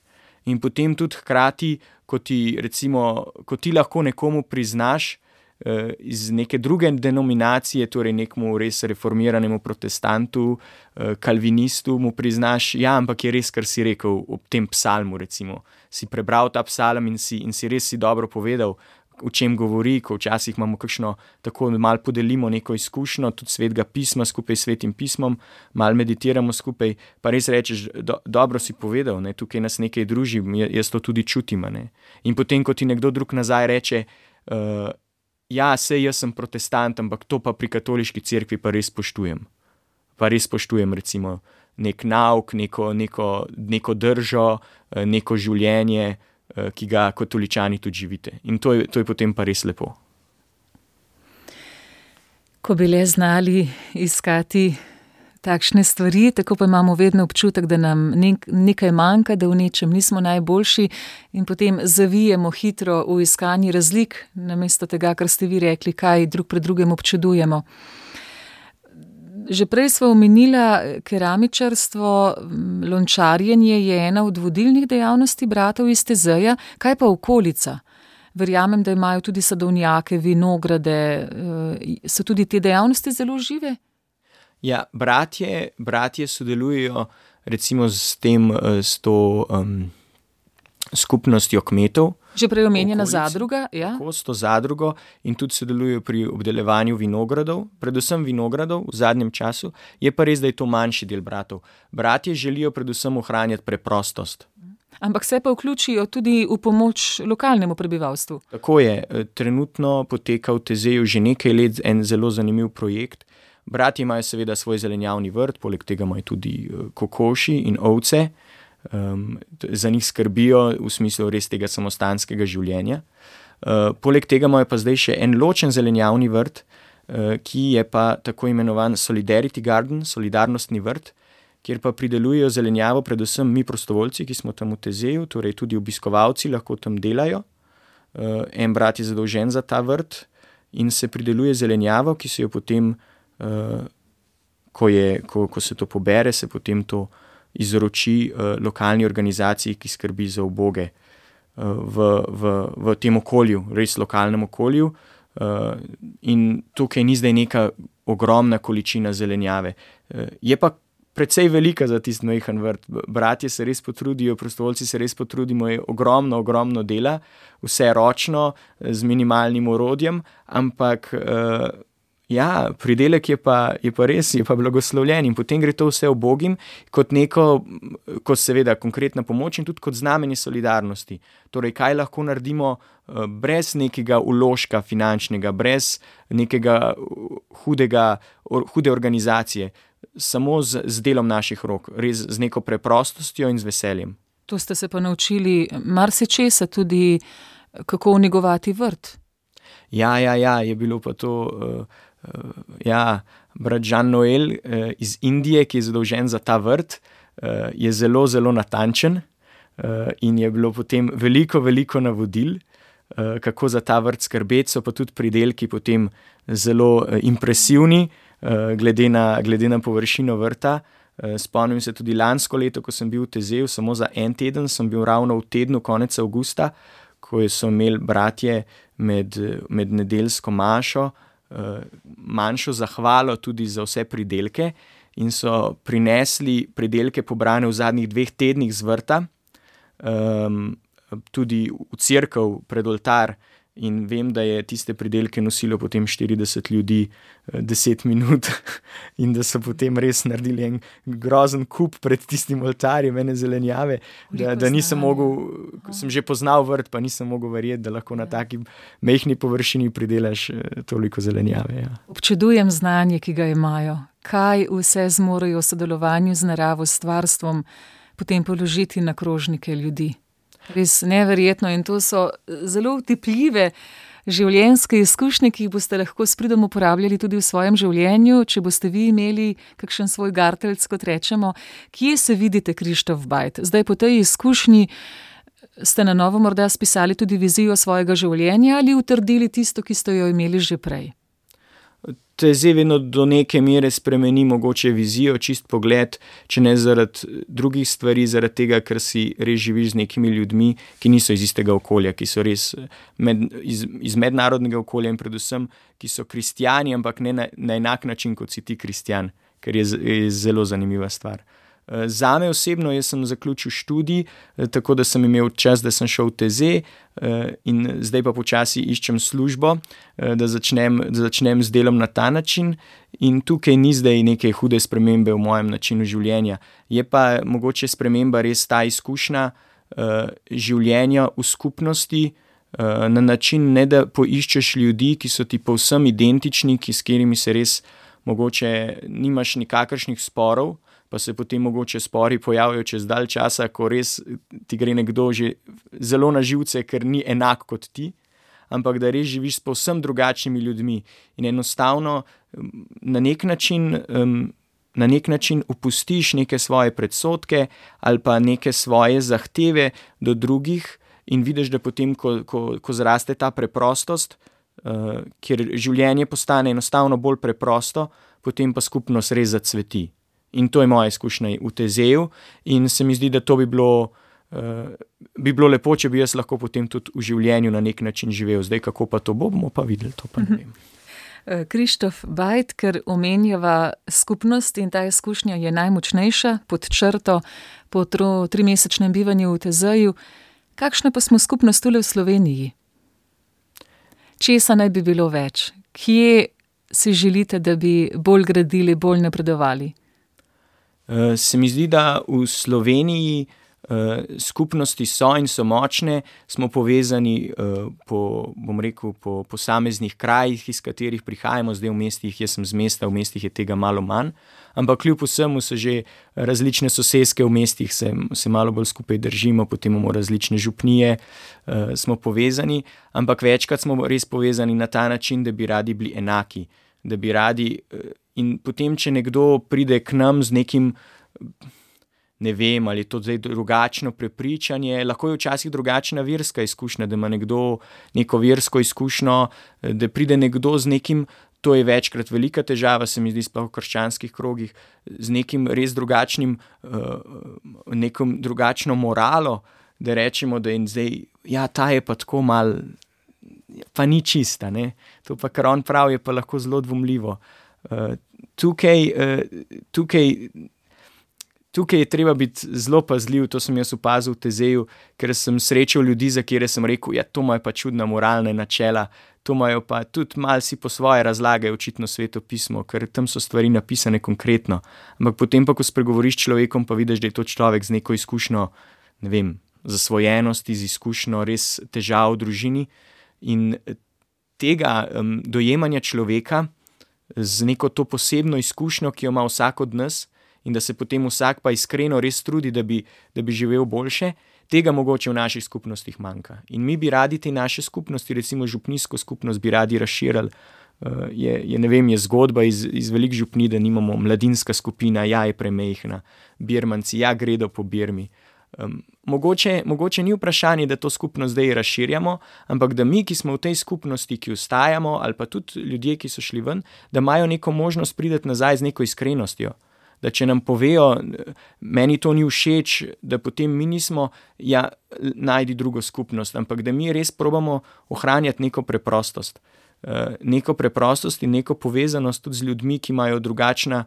In potem tudi hkrati, ko ti lahko nekomu priznaš iz neke druge denominacije, torej nekmu res reformiranemu protestantu, kalvinistu, mu priznaš, ja, ampak je res, kar si rekel ob tem psalmu, recimo. Si prebral ta psalm in si res dobro povedal, o čem govori, ko včasih imamo kakšno, tako malo podelimo neko izkušnjo, tudi svetega pisma skupaj s svetim pismom, malo meditiramo skupaj, pa res rečeš, dobro si povedal, ne, tukaj nas nekaj druži, jaz to tudi čutim. Ne. In potem, ko ti nekdo drug nazaj reče, ja, sej jaz sem protestant, ampak to pa pri katoliški cerkvi pa res spoštujem. Pa res spoštujem recimo nek nauk, neko držo, neko življenje, ki ga katoličani tudi živite. In to je potem pa res lepo. Ko bi le znali iskati takšne stvari, tako pa imamo vedno občutek, da nam nekaj manjka, da v nečem nismo najboljši in potem zavijemo hitro v iskanji razlik, namesto tega, kar ste vi rekli, kaj drug pred drugim občudujemo. Že prej sva omenila keramičarstvo, lončarjenje je ena od vodilnih dejavnosti bratov iz Tezeja, kaj pa okolica? Verjamem, da imajo tudi sadovnjake, vinograde, so tudi te dejavnosti zelo žive? Ja, bratje sodelujejo recimo s to skupnostjo kmetov. Že prej omenjena okolici. zadruga, ja? Tako, s to zadrugo in tudi sodelujejo pri obdelavanju vinogradov, predvsem vinogradov v zadnjem času. Je pa res, da je to manjši del bratov. Bratje želijo predvsem ohranjati preprostost. Ampak se pa vključijo tudi v pomoč lokalnemu prebivalstvu. Tako je, trenutno poteka v Tezeju že nekaj let en zelo zanimiv projekt. Bratje imajo seveda svoj zelenjavni vrt, poleg tega imajo tudi kokoši in ovce. Za njih skrbijo v smislu res tega samostanskega življenja. Poleg tega imajo pa zdaj še en ločen zelenjavni vrt, ki je pa tako imenovan Solidarity Garden, solidarnostni vrt, kjer pa pridelujejo zelenjavo predvsem mi prostovoljci, ki smo tam v Tezeju, torej tudi obiskovalci lahko tam delajo. En brat je zadolžen za ta vrt in se prideluje zelenjavo, ki se jo potem, ko se to pobere, se potem to izroči lokalni organizaciji, ki skrbi za uboge v tem okolju, res lokalnem okolju. In tukaj ni zdaj neka ogromna količina zelenjave. Je pa precej velika za tisti majhen vrt. Bratje se res potrudijo, prostovoljci se res potrudimo, je ogromno dela, vse ročno, z minimalnim orodjem, ampak ja, pridelek je pa res, je pa blagoslovljen in potem gre to vse ubogim kot kot seveda konkretna pomoč in tudi kot znamenje solidarnosti. Torej, kaj lahko naredimo brez nekega vložka finančnega, brez nekega hude organizacije, samo z delom naših rok, res z neko preprostostjo in z veseljem. To ste se pa naučili marsičesa tudi, kako negovati vrt. Ja, je bilo pa to... brat Jean Noel iz Indije, ki je zadolžen za ta vrt, je zelo natančen in je bilo potem veliko navodil, kako za ta vrt skrbeti, so pa tudi pridelki potem zelo impresivni, glede na površino vrta. Spomnim se tudi lansko leto, ko sem bil v Tezeju, samo za en teden, sem bil ravno v tednu konec avgusta, ko so imeli bratje med nedeljsko mašo, manjšo zahvalo tudi za vse pridelke in so prinesli pridelke pobrane v zadnjih 2 tednih z vrta, tudi v cerkev pred oltar in vem, da je tiste pridelke nosilo potem 40 ljudi 10 minut in da so potem res naredili en grozen kup pred tistim oltarjem ene zelenjave, da nisem mogel, sem že poznal vrt, pa nisem mogel verjeti, da lahko na taki majhni površini pridelaš toliko zelenjave. Ja. Občudujem znanje, ki ga imajo. Kaj vse zmorejo v sodelovanju z naravo, s stvarstvom, potem položiti na krožnike ljudi. Res neverjetno in to so zelo utipljive življenjske izkušnje, ki jih boste lahko s pridom uporabljali tudi v svojem življenju, če boste vi imeli kakšen svoj garteljc, kot rečemo. Kje se vidite, Krištof Bajt? Zdaj po tej izkušnji ste na novo morda spisali tudi vizijo svojega življenja ali utrdili tisto, ki ste jo imeli že prej? Te zdaj vedno do neke mere spremeni mogoče vizijo, čist pogled, če ne zaradi drugih stvari, zaradi tega, ker si res živiš z nekimi ljudmi, ki niso iz istega okolja, ki so res iz mednarodnega okolja in predvsem, ki so kristjani, ampak ne na enak način, kot si ti kristjan, ker je zelo zanimiva stvar. Zame osebno, jaz sem zaključil študij, tako da sem imel čas, da sem šel v Teze in zdaj pa počasi iščem službo, da začnem z delom na ta način in tukaj ni zdaj neke hude spremembe v mojem načinu življenja. Je pa mogoče sprememba res ta izkušnja življenja v skupnosti, na način ne da poiščeš ljudi, ki so ti povsem identični, s katerimi se res mogoče nimaš nikakršnih sporov, pa se potem mogoče spori pojavijo čez dalj časa, ko res ti gre nekdo že zelo na živce, ker ni enak kot ti, ampak da res živiš s povsem drugačnimi ljudmi in enostavno na nek način opustiš neke svoje predsodke ali pa neke svoje zahteve do drugih in vidiš, da potem, ko zraste ta preprostost, kjer življenje postane enostavno bolj preprosto, potem pa skupnost res zacveti. In to je moja izkušnja v Tezeju in se mi zdi, da to bi bilo lepo, če bi jaz lahko potem tudi v življenju na nek način živel. Zdaj, kako pa to bomo pa videli, to pa ne vem. Krištof Bajt, ker omenjava skupnost in ta izkušnja je najmočnejša pod črto po 3-mesečnem bivanju v Tezeju. Kakšna pa smo skupnost tule v Sloveniji? Česa naj bi bilo več? Kje si želite, da bi bolj gradili, bolj napredovali? Se mi zdi, da v Sloveniji skupnosti so in so močne, smo povezani po posameznih krajih, iz katerih prihajamo, zdaj v mestih, jaz sem z mesta, v mestih je tega malo manj, ampak kljub vsemu so že različne soseske v mestih, se malo bolj skupaj držimo, potem imamo različne župnije, smo povezani, ampak večkrat smo res povezani na ta način, da bi radi bili enaki, da bi radi, in potem, če nekdo pride k nam z nekim, ne vem, ali je to zdaj drugačno prepričanje, lahko je včasih drugačna verska izkušnja, da ima nekdo neko versko izkušnjo, da pride nekdo z nekim, to je večkrat velika težava, se mi zdi sploh v krščanskih krogih, z nekim res drugačnim, nekom drugačno moralo, da rečemo, da je zdaj, ja, ta je pa tako mal, pa ni čista, ne, to pa, kar on pravi, je pa lahko zelo dvomljivo. Tukaj je treba biti zelo pazljiv, to sem jaz opazil v Tezeju, ker sem srečal ljudi, za kere sem rekel, ja, to imajo pa čudna moralna načela, to imajo pa tudi malo si po svoje razlagajo očitno Sveto pismo, ker tam so stvari napisane konkretno. Ampak potem pa, ko spregovoriš s človekom, pa vidiš, da je to človek z neko izkušnjo, ne vem, zasvojenosti, z izkušnjo res težav v družini in tega dojemanja človeka z neko to posebno izkušnjo, ki jo ima vsak od nas, in da se potem vsak pa iskreno res trudi, da bi živel boljše, tega mogoče v naših skupnostih manjka. In mi bi radi te naše skupnosti, recimo župnijsko skupnost, bi radi razširili. Ne vem, je zgodba iz velik župni, da nimamo mladinska skupina, ja, je premejhna, birmanci, ja, gredo po Birmi. Mogoče ni vprašanje, da to skupnost zdaj razširjamo, ampak da mi, ki smo v tej skupnosti, ki ostajamo, ali pa tudi ljudje, ki so šli ven, da imajo neko možnost priti nazaj z neko iskrenostjo. Da če nam povejo, meni to ni všeč, da potem mi nismo, ja, najdi drugo skupnost, ampak da mi res probamo ohranjati neko preprostost. Neko preprostost in neko povezanost tudi z ljudmi, ki imajo drugačna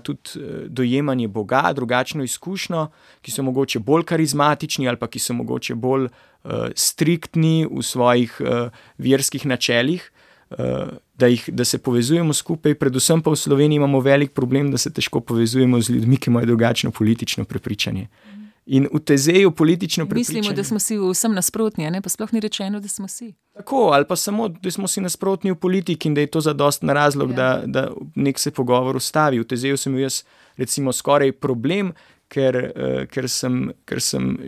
tudi dojemanje Boga, drugačno izkušnjo, ki so mogoče bolj karizmatični ali pa ki so mogoče bolj striktni v svojih verskih načelih, da se povezujemo skupaj, predvsem pa v Sloveniji imamo velik problem, da se težko povezujemo z ljudmi, ki imajo drugačno politično prepričanje. In v Tezeju politično prepričanje... Mislimo, da smo si vsem nasprotni, ne? Pa sploh ni rečeno, da smo si. Tako, ali pa samo, da smo si nasprotni v politiki in da je to zadosten razlog, ja. Da nek se pogovor ustavi. V Tezeju sem jaz recimo skoraj problem, ker sem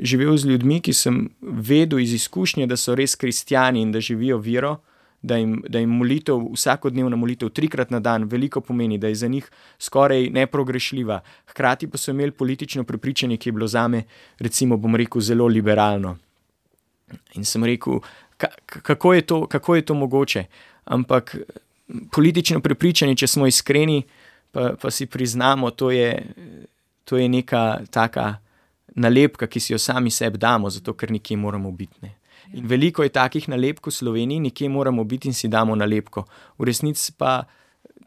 živel z ljudmi, ki sem vedel iz izkušnje, da so res kristjani in da živijo vero, da jim molitev, vsakodnevna molitev 3-krat na dan veliko pomeni, da je za njih skoraj neprogrešljiva. Hkrati pa so imeli politično prepričanje, ki je bilo zame, recimo, bom rekel, zelo liberalno. In sem rekel, kako je to mogoče? Ampak politično prepričanje, če smo iskreni, pa si priznamo, to je neka taka nalepka, ki si jo sami sebi damo, zato ker nekje moramo biti, ne. In veliko je takih nalepk v Sloveniji, nekje moramo biti in si damo nalepko. V resnici pa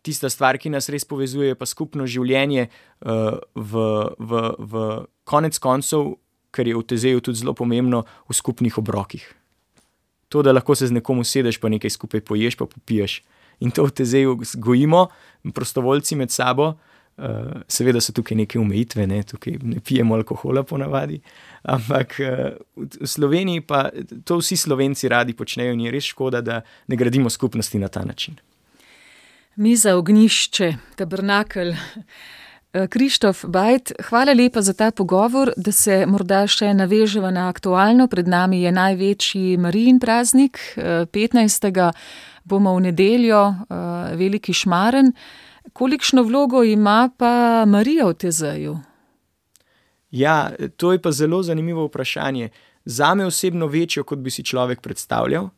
tista stvar, ki nas res povezuje, pa skupno življenje v konec koncev, ker je v Tezeju tudi zelo pomembno, v skupnih obrokih. To, da lahko se z nekom usedeš, pa nekaj skupaj poješ, pa popiješ. In to v Tezeju gojimo, prostovoljci med sabo. Seveda so tukaj neke omejitve, ne? Tukaj ne pijemo alkohola ponavadi, ampak v Sloveniji pa to vsi Slovenci radi počnejo in je res škoda, da ne gradimo skupnosti na ta način. Miza, ognjišče, tabernakelj. Krištof Bajt, hvala lepa za ta pogovor, da se morda še naveževa na aktualno. Pred nami je največji Marijin praznik, 15. bomo v nedeljo, veliki šmaren. Kolikšno vlogo ima pa Marija v Tezeju? Ja, to je pa zelo zanimivo vprašanje. Zame osebno večjo, kot bi si človek predstavljal,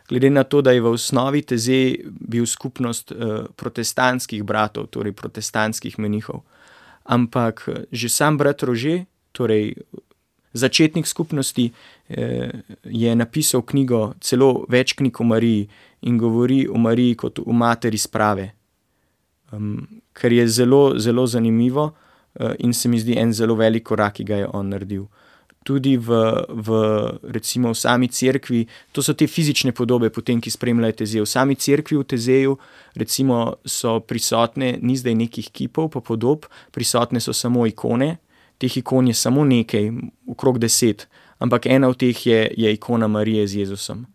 glede na to, da je v osnovi Tezej bil skupnost protestantskih bratov, torej protestantskih menihov. Ampak že sam brat Rože, torej začetnik skupnosti, je napisal knjigo, celo več knjig o Mariji in govori o Mariji kot o materi sprave. Kar je zelo, zelo zanimivo in se mi zdi en zelo velik korak, ki ga je on naredil. tudi recimo v sami cerkvi, to so te fizične podobe potem, ki spremljajo Tezej. V sami cerkvi v Tezeju recimo so prisotne, ni zdaj nekih kipov pa podob, prisotne so samo ikone, teh ikon je samo nekaj, okrog 10, ampak ena od teh je ikona Marije z Jezusom,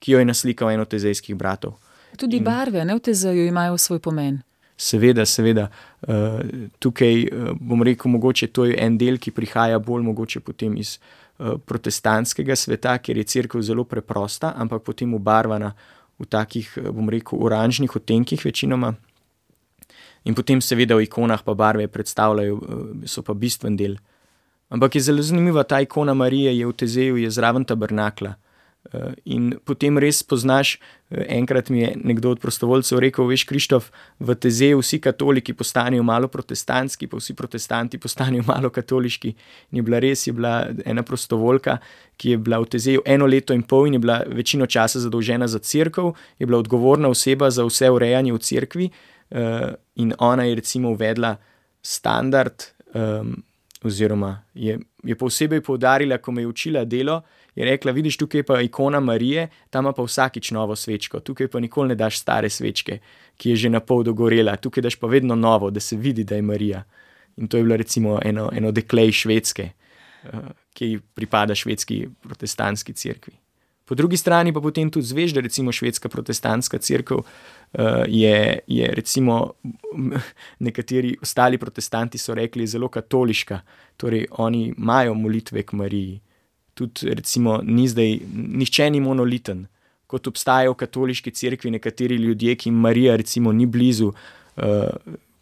ki jo je naslikal en od tezejskih bratov. Tudi barve, ne, v Tezeju imajo svoj pomen. Seveda. Tukaj bom rekel, mogoče to je en del, ki prihaja bolj mogoče potem iz protestantskega sveta, kjer je cerkev zelo preprosta, ampak potem obarvana v takih, bom rekel, oranžnih odtenkih večinoma. In potem seveda v ikonah pa barve predstavljajo, so pa bistven del. Ampak je zelo zanimiva ta ikona Marije, je v Tezeju, je zraven tabernakla. In potem res poznaš, enkrat mi je nekdo od prostovoljcev rekel, veš, Krištof, v Tezeju vsi katoliki postanejo malo protestantski, pa vsi protestanti postanejo malo katoliški. In je bila ena prostovoljka, ki je bila v Tezeju 1 leto in pol in je bila večino časa zadolžena za cerkev, je bila odgovorna oseba za vse urejanje v cerkvi, in ona je recimo uvedla standard, oziroma je posebej poudarila, ko me je učila delo, je rekla, vidiš, tukaj pa ikona Marije, tam pa vsakič novo svečko, tukaj pa nikoli ne daš stare svečke, ki je že na pol dogorela, tukaj daš pa vedno novo, da se vidi, da je Marija. In to je bila recimo eno dekle iz Švedske, ki pripada švedski protestantski cerkvi. Po drugi strani pa potem tudi zveš, da recimo švedska protestantska cerkev je recimo, nekateri ostali protestanti so rekli, zelo katoliška, torej oni imajo molitve k Mariji. Tudi recimo nihče ni monoliten, kot obstajajo v katoliški cerkvi nekateri ljudje, ki jim Marija recimo ni blizu,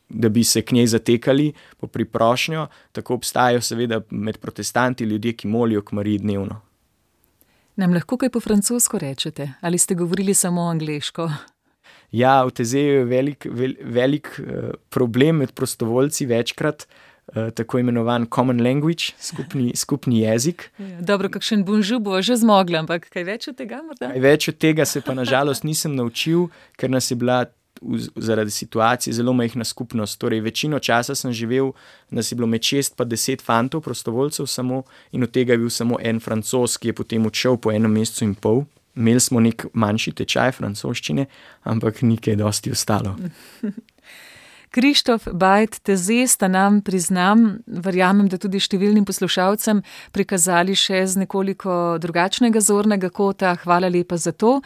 da bi se k njej zatekali po priprošnjo, tako obstajajo seveda med protestanti ljudje, ki molijo k Mariji dnevno. Nam lahko kaj po francosko rečete? Ali ste govorili samo angleško? Ja, v Tezeju je velik problem med prostovoljci večkrat, tako imenovan common language, skupni jezik. Dobro, kakšen bonjour bova že zmogla, ampak kaj več od tega morda? Kaj več od tega se pa nažalost nisem naučil, ker nas je bila zaradi situacije zelo majhna skupnost. Torej, večino časa sem živel, nas je bilo med 6 pa 10 fantov, prostovoljcev samo, in od tega je bil samo en Francoz, ki je potem odšel po 1 mesecu in pol. Imeli smo nek manjši tečaj francoščine, ampak ni kaj dosti ostalo. Krištof Bajt Tezej sta nam, priznam, verjamem, da tudi številnim poslušalcem, prikazali še z nekoliko drugačnega zornega kota. Hvala lepa za to.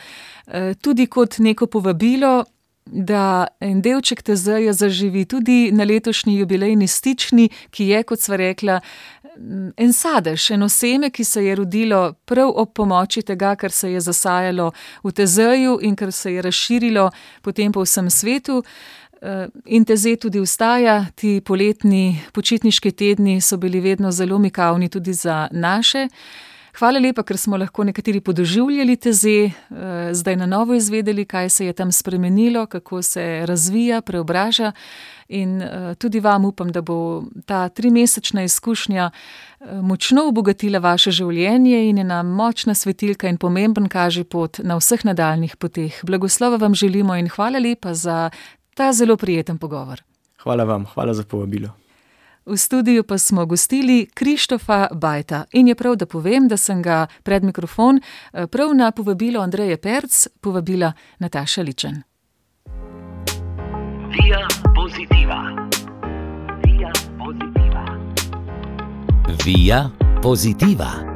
Tudi kot neko povabilo, da en delček Tezeja zaživi tudi na letošnji jubilejni stični, ki je, kot sva rekla, en sadež, eno seme, ki se je rodilo prav ob pomoči tega, kar se je zasajalo v Tezeju in kar se je razširilo potem po vsem svetu. In Tezej tudi ostaja, ti poletni počitniški tedni so bili vedno zelo mikavni tudi za naše. Hvala lepa, ker smo lahko nekateri podoživljali Tezej, zdaj na novo izvedeli, kaj se je tam spremenilo, kako se razvija, preobraža, in tudi vam upam, da bo ta 3-mesečna izkušnja močno obogatila vaše življenje in je nam močna svetilka in pomemben kažipot na vseh nadaljnih poteh. Blagoslova vam želimo in hvala lepa za ta zelo prijeten pogovor. Hvala vam, hvala za povabilo. V studiu pa smo gostili Krištofa Bajta in je prav, da povem, da sem ga pred mikrofon prav na povabilo Andreje Perc povabila Nataša Ličen. Via Positiva. Via Positiva. Via Positiva.